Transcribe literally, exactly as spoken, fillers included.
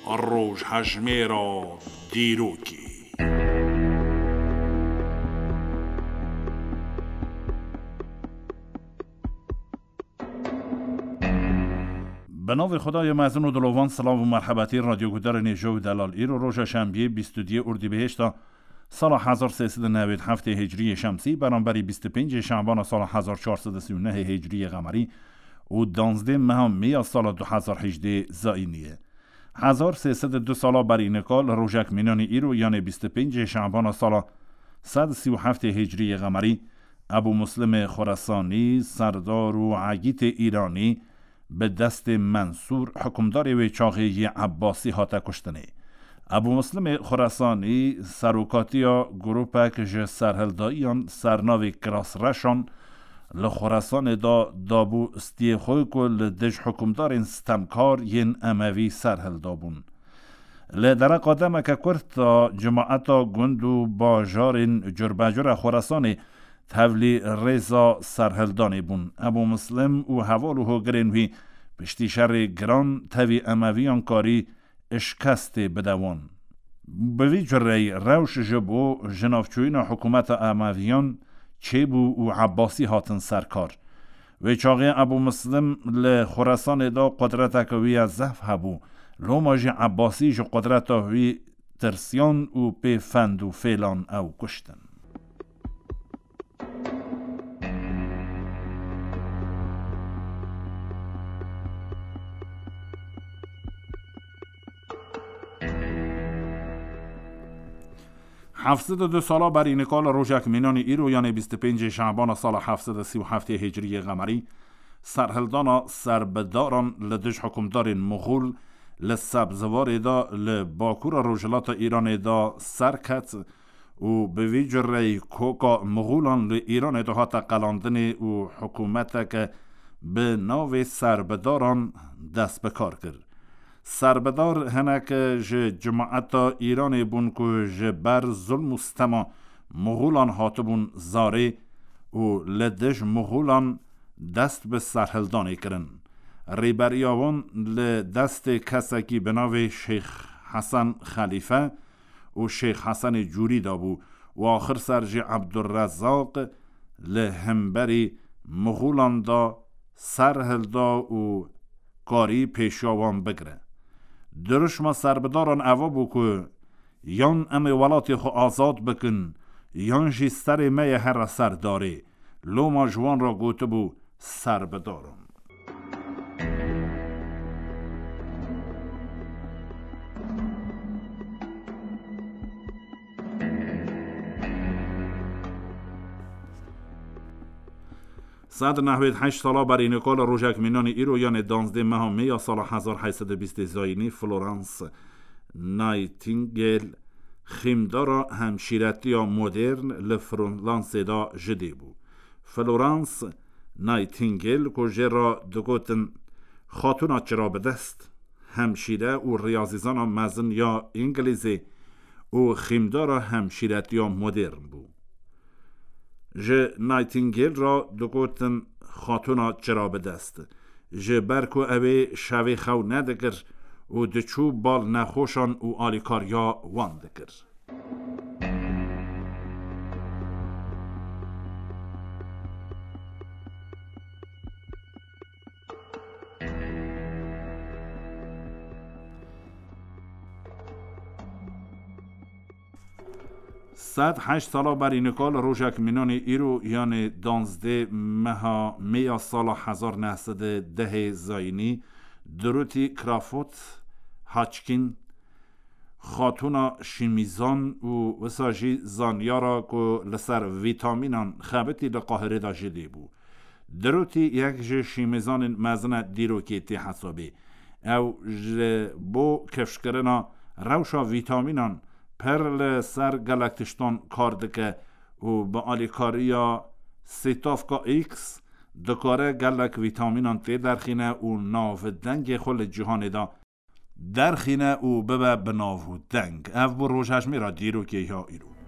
Rojhejmêra dîrokê. Bi navê Xwedayê mezin û dilovan, silav û merhebetî radyoguhdarên hêja û delal. Îro roja şembiyê, bîst û duyê Urdîbehişta sala hezar sê sed û newêd heftê hicriyê şemsî, beramberî bîst û pêncê şebana sala hezar çar sed û sî û nehê hicriyê qemerî û danzdê meha mê ya sala du hezar hejdê zayînî ye. Hezar sê sed û du sala berî nika li rojek mînanî îro, yanê bîst û pêncê şebana sala sed û sî û heftê hicriyê qemerî, Ebû Muslimê Xuresanî, serdar û egîtê Îranî, bi destê Mensûr, hikûmdarê wê çaxê yê Ebbasî, hate kuştinê. Ebû Muslimê Xuresanî serokatiya grûpek ji serhildayiyan sernavê Kirasreşan li Xuresanê de dabû stiyê xwe ku li dij hikûmdarên stemkar yên Emevî serhildabûn. Li dereqa demeke kurt de cemaeta gund û bajarên curbecur a Xuresanê tevlî rêza serhildanê bûn. Ebû Muslim û heval û hogirên wî piştî şerê giran tevî Emeviyan karî şikestê bide wan. Bi vî cureyî rewş ji bo jinavçûyîna hikûmeta Emeviyan çêbû û Ebbasî hatin ser kar. Wê çaxê Ebû Muslim li Xuresanê de qudreteke wî ya zehf hebû. Loma jî Ebbasî ji qudreta wî tirsiyan û pê fend û fêlan ew kuştin. Heft sed û du sala berî nika li rojek mînanî îro, yanê bîst û pêncê şebana sala heft sed û sî û heftê hicriyê qemerî, serhildana serbidaran li dij hikûmdarên Muxul li Sebziwarê de li bakura rojhilata Îranê de ser ket û bi vî cureyî koka Muxulan li Îranê de hate qelandinê û hikûmeteke bi navê serbidaran dest bi kar kir. Serbidar hinek ji cemaeta Îranê bûn ku ji ber zulm û stema Muxulan hatibûn zarê û li dij Muxulan dest bi serhildanê kirin. Rêberiya wan li destê kesekî bi navê Şêx Hesen Xelîfe û Şêx Hesenê Cûrî de bû û axir ser jî Ebdurrezzaq li hemberî Muxulan de ser hilda û karî pêşiya wan bigire. Dirûşma serbidaran eva bû ku yan em ê welatê xwe azad bikin, yan jî serê me ye here ser darê. Loma ji wan re gotibû serbidaran. Sed nehwêd heşt sala berî nika li rojek mînanî îro, yanê danzdê meha mê ya sala hezar heyt sed û bîstê zayînî, Florence Nightingale, xîmdara hemşîretiya modern li Fransê de ji dê bû. Florence Nightingale, ku jê re digotin Xatûna Çirabidest, hemşîre û riyazîzana mezin ya Îngilîzê û xîmdara hemşîretiya modern bû. Ji Nightingale re digotin Xatûna Çirabidest, ji ber ku ew ê şevê xew nedikir û diçû bal nexweşan û alîkariya wan dikir. Sed heşt sala berî nika li rojek mînanî îro, yanê danzdê meha mê ya sala hezar neh sed û dehê zayînî, Dorothy Crawford Hodgkin, xatûna şîmîzan û wisa jî zanyara ku li ser vîtamînan xebitî, li Qahirê de ji dê bû. Dorothy yek ji şîmîzanên mezin e dîrokê tê hesabê. Ew ji bo kifşkirina rewşa vîtamînan pir li ser gelek tiştan kar dike û bi alîkariya Sîtavka X dikare gelek vîtamînan tê derxîne û navdengê xwe li cîhanê de derxîne û bibe bi nav û deng. Ev bû rojhejmêra dîrokê ya îro.